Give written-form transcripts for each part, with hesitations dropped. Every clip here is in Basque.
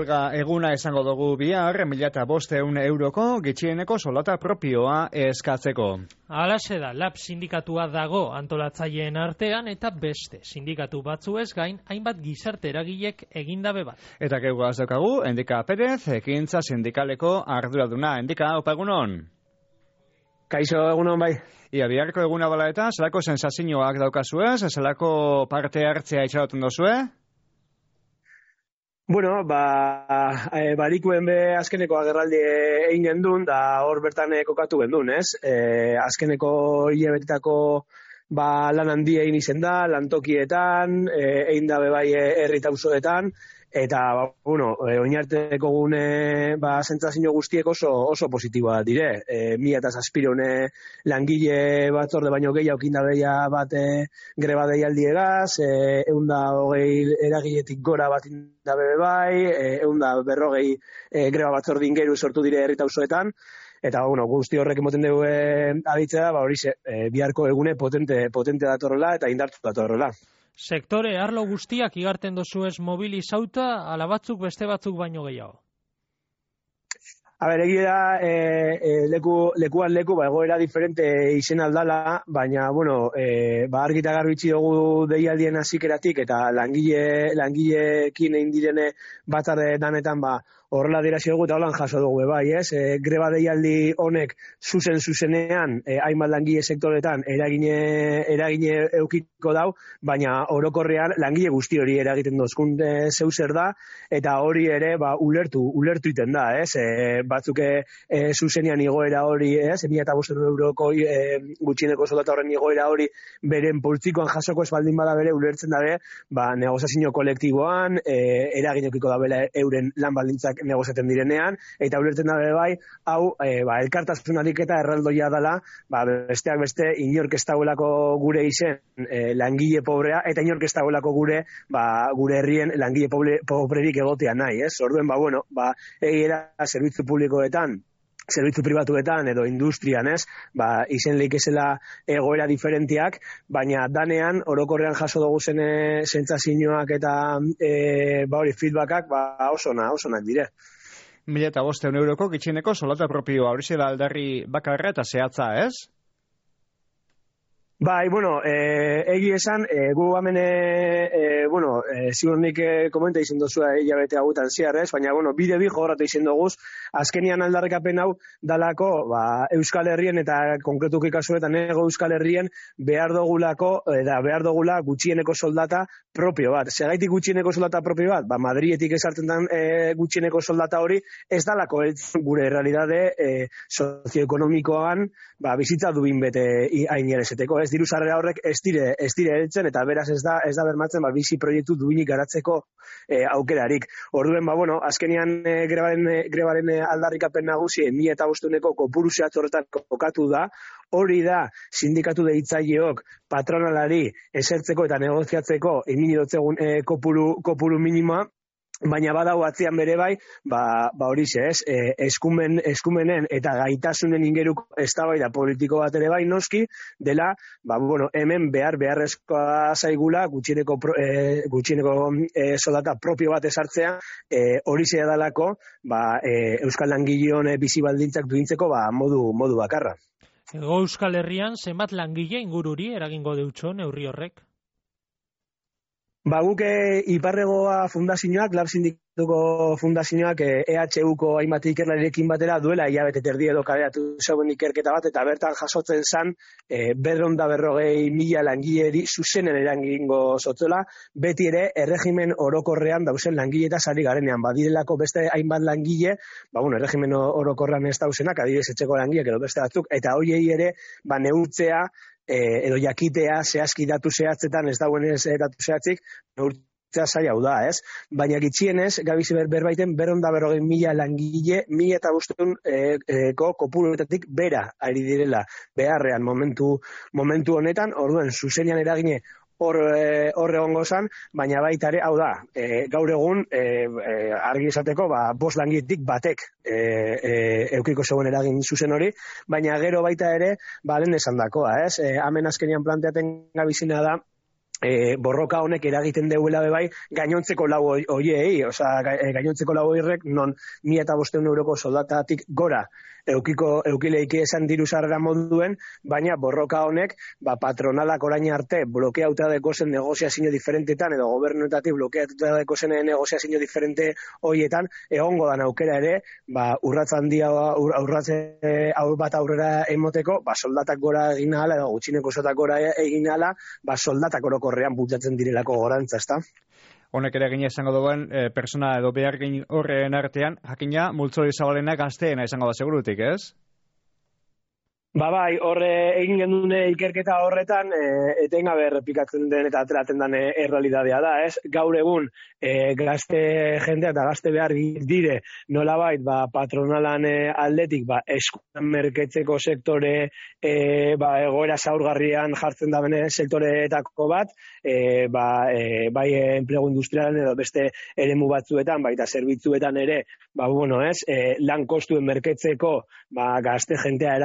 huelga eguna esango dugu bihar, 1.500 euroko gutxieneko soldata propioa eskatzeko. Halaxe da, LAB sindikatua dago antolatzaileen artean eta beste sindikatu batzuez gain hainbat gizarte eragilek egindabe bat. Eta geugaz daukagu, Endika Perez, ekintza sindikaleko arduraduna. Endika, opa egunon? Kaixo, egunon bai. Ia biharko eguna bala eta, zelako sensazioak daukazuez, zelako parte hartzea itxaroten dozue? Bueno, barikuen be azkeneko agerraldi egin gendun, da hor bertan kokatu gendun, ez? Azkeneko hilabetako lan handia egin izen da, lantokietan, egin dabe bai herri eta auzoetan, eta, oinarteko gune sentsazio guztiek oso positiboa dire. 1.000 langile batzorde baino gehiago kindabeia bat greba deialdiegaz, 120 eragiletik gora bat indabe bai, 140 greba batzorde ingeru sortu dire herri eta auzoetan, eta guzti horrek emoten dugu aditzea, biharko egune potente datorrela eta indartu datorrela. Sektore arlo guztiak igarten dozuez mobilizauta, ala batzuk beste batzuk baino gehiago? Egia da, lekuan leku, egoera diferente izen aldala, baina, argita garbitzi dugu deialdien hazikeratik, eta langileekin egin direne batzarde danetan, horrela dirazi dugu eta holan jaso dugu bai, ez? Greba deialdi honek zuzenean, hainbat langile sektoretan eragine eukiko dau, baina orokorrean langile guzti hori eragiten dozkun zeu zer da, eta hori ere ulertu iten da, ez? Batzuk zuzenean igoera hori, ez? 1.500 euroko gutxieneko soldata horren igoera hori beren poltsikoan jasoko espaldin bada bere ulertzen dabe, negoziazio kolektiboan, eragin eukiko da bela euren lan baldintzak negoziaten direnean, eta ulertzen dabe bai, hau, elkartasunarik eta erraldoia dela, besteak beste, inork ez dagoelako gure izen langile pobrea, eta inork ez dagoelako gure herrien langile pobrerik egotea nahi, ez? Orduen, egiera zerbitzu publikoetan, zerbitzu pribatuetan edo industrian, ez? Izen leikezela egoera diferentiak, baina danean orokorrean jaso dugu zen sentsazioak eta feedbackak oso onak dire. 1.500 euroko gutxieneko soldata propioa, hori zela aldarri bakarra eta zehatza, ez? Egi esan, gu hemen, ziur nik komenta izin dozua hilabete hauetan ziar, ez? Baina, bide bi jogoratu izin doguz, azkenian aldarrikapen hau dalako, Euskal Herrien eta konkretuki kasuetan ego Euskal Herrien behar dugula gutxieneko soldata propio bat. Segaitik gutxieneko soldata propio bat? Madrietik esartzen den gutxieneko soldata hori, ez dalako gure realidade sozioekonomikoan bizitza dubin bete ainerezeteko, ez? Diru sarrera horrek ez dire heltzen, eta beraz ez da bermatzen bizi proiektu duinik garatzeko aukerarik. Orduen, azkenian grebaren aldarrikapen nagusi 1.500 kopuru zehatz horretan kokatu da, hori da sindikatu deitzaileok patronalari esertzeko eta negoziatzeko emini dotzegun kopuru minimoa, baina badau atzean bere bai, horixe, ez? Eskumenen eta gaitasunen ingeruko eztabaida politiko bat ere bai noski, dela, hemen beharrezkoa zaigula gutxieneko soldata propio bat esartzea, horixe dalako, Euskal Langileon bizi baldintzak duintzeko modu bakarra. Ego Euskal Herrian zenbat langile ingururi eragingo deutxo neurri horrek? Guk Iparregoa fundazioak, LAB sindikatuko fundazioak EHUko hainbat ikerlarirekin batera duela hilabete terdi edo kaleratu zeuen ikerketa bat, eta bertan jasotzen zan 240.000 langileri zuzenen eragingo zotzela, beti ere erregimen orokorrean dauzen langile eta sari garenean. Badirelako beste hainbat langile, erregimen orokorrean ez dauzenak, adibidez etxeko langileak edo beste batzuk, eta hoiei ere neurtzea edo jakitea zehazki datu zehatzetan ez dauen ez datu zehatzik, neurtzea zaila hau da, ez? Baina gitxienez, gabizi berbaiten 240.000 langile, 1.500 kopuruetatik bera ari direla beharrean momentu honetan, orduen zuzenean eragine hor egongo zan, baina baita ere, hau da, gaur egun argi esateko, 5 langiletik batek eukiko zegoen eragin zuzen hori, baina gero baita ere, lehen esan dakoa, ez? Hemen azkenian planteaten gabizina da, borroka honek eragiten deuela bai gainontzeko lau hoiei, gainontzeko lau hoiek non 1.500 euroko soldatatik gora eukileiki esan diru sarrera moduen, baina borroka honek patronalak orain arte blokeauta deko zen negoziazio diferentetan edo gobernuetatik blokeatuta deko zen negoziazio diferente hoietan egongo dan aukera ere, urratz handia bat aurrera emoteko, soldatak gora egin ahala edo gutxineko soldata gora egin ahala, soldatak orokorrean bultzatzen direlako gorantza, ezta? Honek ere egin izango duen persona edo behargin horren artean, jakina multzo izabalena gazteena izango da segurutik, ez? Bai, horre egin gendun ikerketa horretan, etengabe errepikatzen den eta ateratzen den errealidadea da, ez? Gaur egun, gazte jendea eta gazte behar dire, nolabait, patronalan aldetik, eskuan merketzeko sektore, egoera zaurgarrian jartzen da bene sektoreetako bat, bai enplegu industrialen edo beste eremu batzuetan, baita zerbitzuetan ere, lan kostuen merketzeko, gazte jendea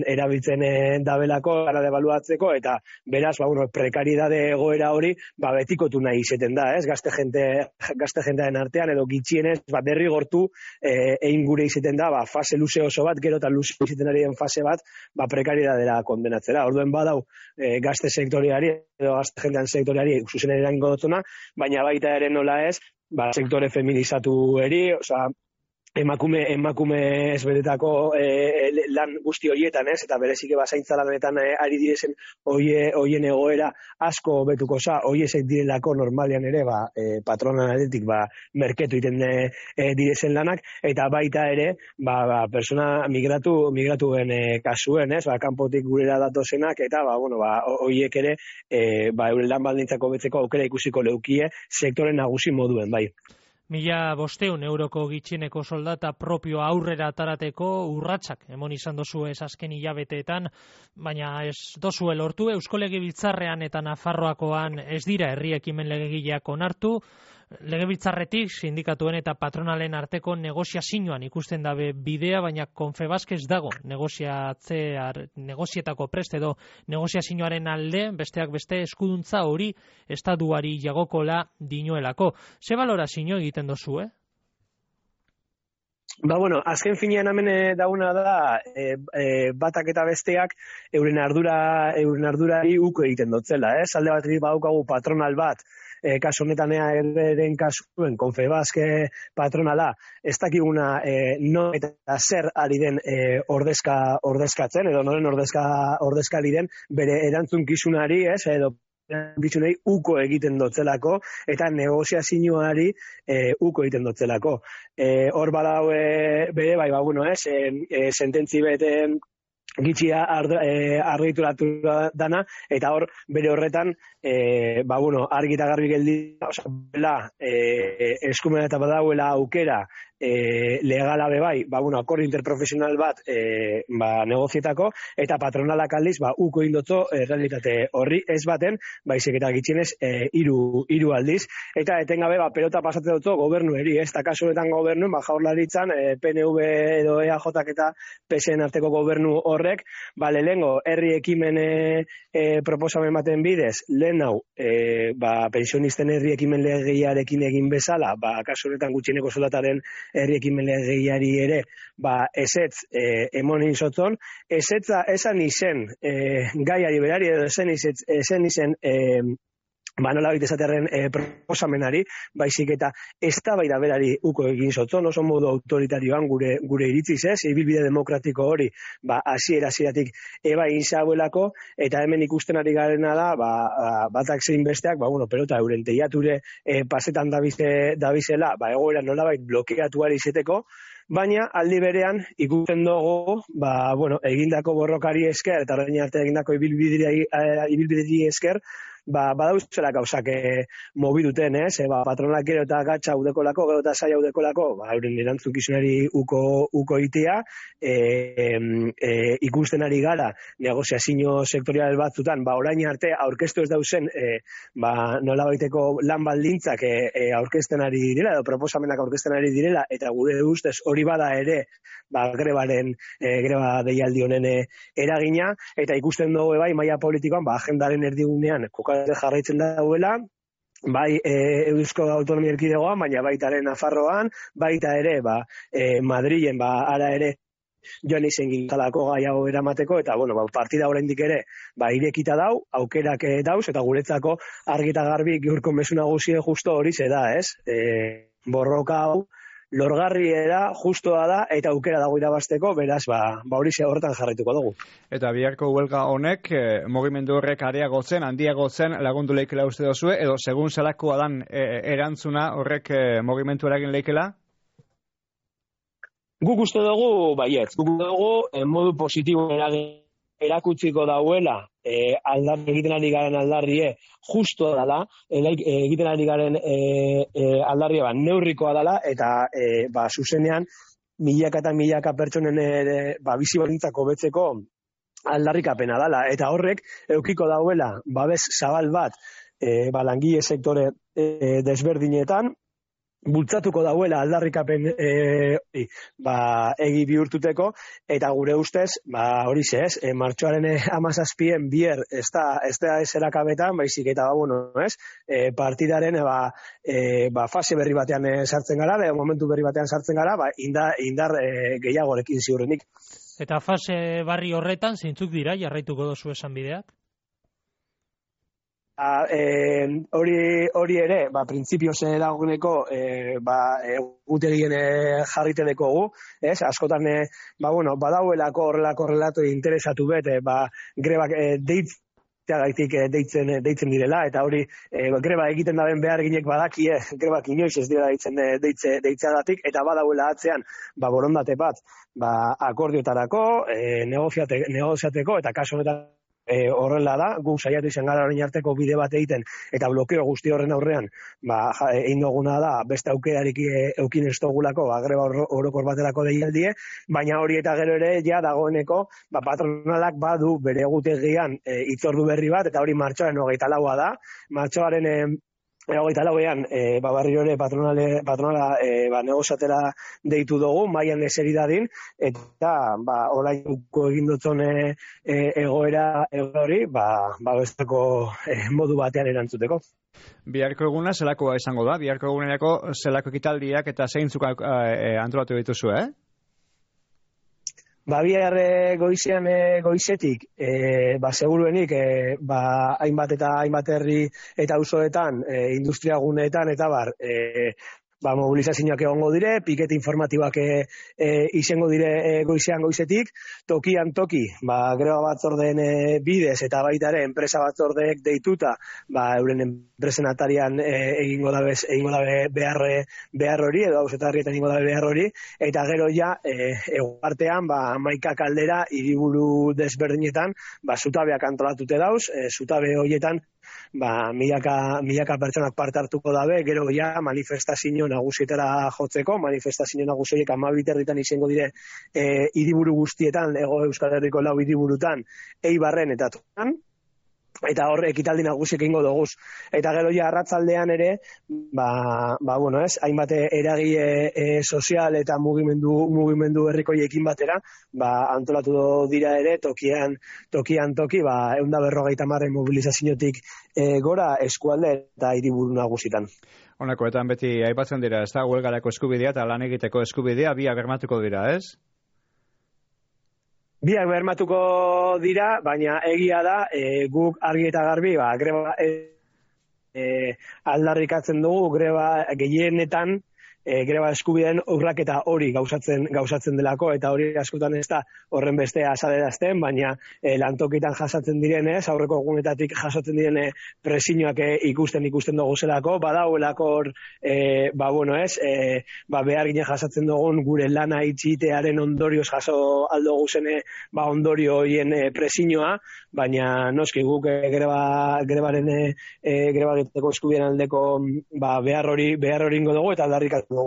erabiltzen dabelako, gara debaluatzeko, eta beraz, prekaridade egoera hori, betikotu nahi izeten da, ez? Gazte jendearen artean, edo gitxienez, derrigortu egin gure izeten da, fase luze oso bat, gero eta luze izeten ari den fase bat, prekaridadera kondenatzera. Orduen badau, gazte sektoreari, edo gazte jendean sektoreari, zuzen erango dutuna, baina baita ere nola ez, sektore feminizatu eri, emakume ezberdetako lan guzti horietan, ez? Eta berezike zaintza lanetan ari direzen hoien egoera asko betuko za, hoiesek direlako normalean ere patronan aldetik merketu iten direzen lanak, eta baita ere persona migratuen kasuen, ez? Kanpotik gurera datozenak, eta hoiek ere euren lan baldintzako betzeko aukera ikusiko leukie sektore nagusi moduen, bai. 1.500 euroko gitxieneko soldata propio aurrera atarateko urratsak emon izan dozu ez azken hilabeteetan, baina ez dozue lortu. Eusko Legebiltzarrean eta Nafarroakoan ez dira herri ekimen legegileak onartu. Legebiltzarretik sindikatuen eta patronalen arteko negoziazioan ikusten dabe bidea, baina Confebask ez dago negozietako prest edo negoziazioaren alde, besteak beste eskuduntza hori estatuari jagokola dinoelako. Ze balorazio egiten dozu, azken finean hemen dauna da, batak eta besteak euren ardurari uko egiten dotzela, ez? Alde batetik badaukagu patronal bat, kasu honetan eren kasuen Confebask patronala, ez dakiguna no eta zer ari den ordezkatzen, edo noren ordezkari den bere erantzunkizunari, ez, edo bitxunei uko egiten dotzelako, eta negoziazioari uko egiten dotzelako. Hor badau bere, sententzi beten gitxia argituratu dana, eta hor bere horretan argi eta garbi geldi eskumena eta badauela aukera legala bebai, akordio interprofesional bat negozietako, eta patronalak aldiz uko indotzo realitate horri ez baten, baizik eta gitxienez hiru aldiz, eta etengabe pelota pasate dutzo gobernueri, ez da kasu honetan gobernu, Jaurlaritzan PNV edo EAJ eta PSN arteko gobernu horrek, lehengo herri ekimen proposamen baten bidez, lehen hau pensionisten herri ekimen legearekin egin bezala, kasu honetan gutxieneko soldataren herri ekimen legeari ere, ezetz emonin zotzon, ezetza esan izen gaiari berari, edo esan izen nolabait esatearen proposamenari, baizik eta eztabaida berari uko egin zotzon, oso modu autoritarioan gure iritziz ez, ibilbide demokratiko hori, hasieratik egin zabuelako, eta hemen ikusten ari garena da, batak zein besteak, pelota euren teiature pasetan dabizela, egoera nolabait blokeatuari izeteko, baina aldi berean ikusten dugu, egindako borrokari esker, eta orain arte egindako ibilbideri esker, badauzela gauzak mobiduten, ez? Patronalak gero eta gatsa udekolako, gero eta saia udekolako, euren erantzukizunari uko itea, ikusten ari gara, negoziazio sektorial batzutan, orain arte aurkeztu ez dauzen, nolabaiteko lan baldintzak aurkezten ari direla, edo proposamenak aurkezten ari direla, eta gure ustez hori bada ere, greba deialdi honen eragina, eta ikusten dugu maila politikoan, agendaren erdigunean koka jarraitzen dauela, bai Eusko Autonomia Erkidegoan, baina baita ere Nafarroan, baita ere Madrilen ara ere joan izen gintalako gai hau eramateko, eta partida oraindik ere irekita dau, aukerak dauz, eta guretzako argi eta garbi gaurko mezu nagusia justo hori da, ez? Borroka hau lorgarri da, justoa da, eta aukera dago irabasteko, beraz, hori horretan jarraituko dugu. Eta biharko huelga honek, mugimendu horrek areagotzen, handiagotzen lagundu leikela uste dozue, edo segun zelakoa dan erantzuna horrek mugimendu eragin leikela? Guk uste dugu, baiet, modu positibo erakutsiko dauela, egiten ari garen aldarrie justo dela, egiten ari garen aldarrie neurrikoa dela, eta zuzenean milaka eta milaka pertsonen bizi baldintzak hobetzeko aldarrikapena dela, eta horrek eukiko dauela babes zabal bat langile sektore desberdinetan, bultzatuko dauela aldarrikapen egi bihurtuteko, eta gure ustez, horixe ez, martxoaren 17 bier ez da eserakabetan, baizik eta partidaren fase berri batean sartzen gara, momentu berri batean sartzen gara, indar gehiagorekin ziurrenik. Eta fase barri horretan, zeintzuk dira, jarraituko dozu esan bideak? Hori ere, printzipioz dagoeneko egutegien jarrite dekogu, ez? Askotan, badauelako horrelako relato interesatu bete, grebak deitzen direla, eta hori greba egiten daben behar ginek badakie, grebak inoiz ez dira deitzeagatik, eta badauela atzean, borondate bat, akordiotarako, negoziateko, eta kaso honetan horrela da, gu saiatu izan gara orain arteko bide bat egiten, eta blokeo guzti horren aurrean, egin duguna da, beste aukerarik eukin ez dugulako, greba orokor baterako deialdie, baina hori eta gero ere, dagoeneko, patronalak badu bere egutegian hitzordu berri bat, eta hori martxoaren 24a da, martxoaren 24ean, barrio ere patronala negoziatera deitu dugu, mailan eseri dadin, eta oraingo egin dutzen egoera hori, besteko modu batean erantzuteko. Biharko eguna zelakoa izango da? Biharko egunerako zelako ekitaldiak eta zeintzuk antolatu dituzu, Bihar goizetik, seguruenik, hainbat herri eta auzoetan, industriaguneetan, eta mobilizazioak egongo dire, pikete informatiboak izango dire goizetik, tokian toki, greba batzordeen bidez, eta baita ere, enpresa batzordeek deituta, euren enpresen atarian egingo dabe behar hori, edo hauzetarrietan egingo dabe behar hori, eta gero eguartean, 11 kaldera, hiriburu desberdinetan, zutabeak antolatute dauz, zutabe horietan, milaka pertsonak parte hartuko dabe, gero manifestazio nagusietara jotzeko, manifestazio nagusiek 12 izango dire hiriburu guztietan, Hego Euskal Herriko 4 hiriburutan, Eibarren eta Toran, eta hor ekitaldi nagusiek egingo doguz. Eta gero arratzaldean ere, hainbat eragile sozial eta mugimendu herrikoiekin batera, antolatu dira ere, tokian toki, 150 mobilizaziotik gora eskualde eta hiriburu nagusitan. Honakoetan beti aipatzen dira, ez da, huelgarako eskubidea eta lan egiteko eskubidea, biak bermatuko dira, ez? Biak bermatuko dira, baina egia da, guk argi eta garbi, greba aldarrikatzen dugu, greba gehienetan, greba eskubideen urraketa hori gauzatzen delako, eta hori askotan ez da horren beste azalerazten, baina lantokitan jasatzen direnez, aurreko egunetatik jasatzen direne presioak ikusten dugu zelako, badauelako hor, behar gine jasatzen dugun gure lana itxitearen ondorioz jaso aldogu zene ondorio horien presioa, baina noski guk grebaren greba egiteko eskubideen aldeko behar hori ingo dugu, eta aldarrikatu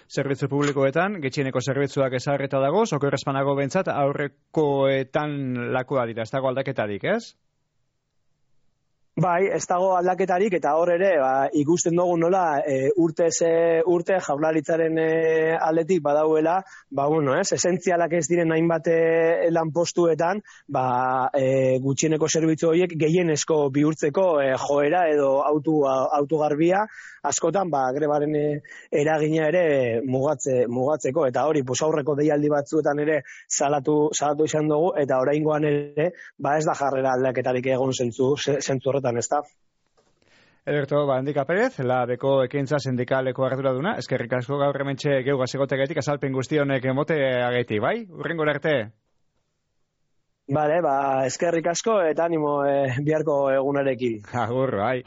Zerbitzu publikoetan, getxieneko zerbitzuak ezarreta dago, okerrezpanago bentsat aurrekoetan lakoa dira, ez dago aldaketarik, ez? Bai, ez dago aldaketarik eta hor ere ikusten dugu nola urte Jaurlaritzaren aldetik badauela, esentzialak ez diren hainbat lanpostuetan, gutxieneko zerbitzu horiek gehienezko bihurtzeko joera edo autogarbia askotan grebaren eragina ere mugatzeko eta hori aurreko deialdi batzuetan ere salatu izan dugu eta oraingoan ere ez da jarrera aldaketarik egon zentzu horretan, ez da. Ederto, Handika Perez, labeko ekintza sindikaleko arduraduna, eskerrik asko gaur hementxe geugaz egotegatik azalpen guzti honek emote ageti, bai? Hurrengora arte. Bale, eskerrik asko eta animo biharko egunarekin. Agur, bai.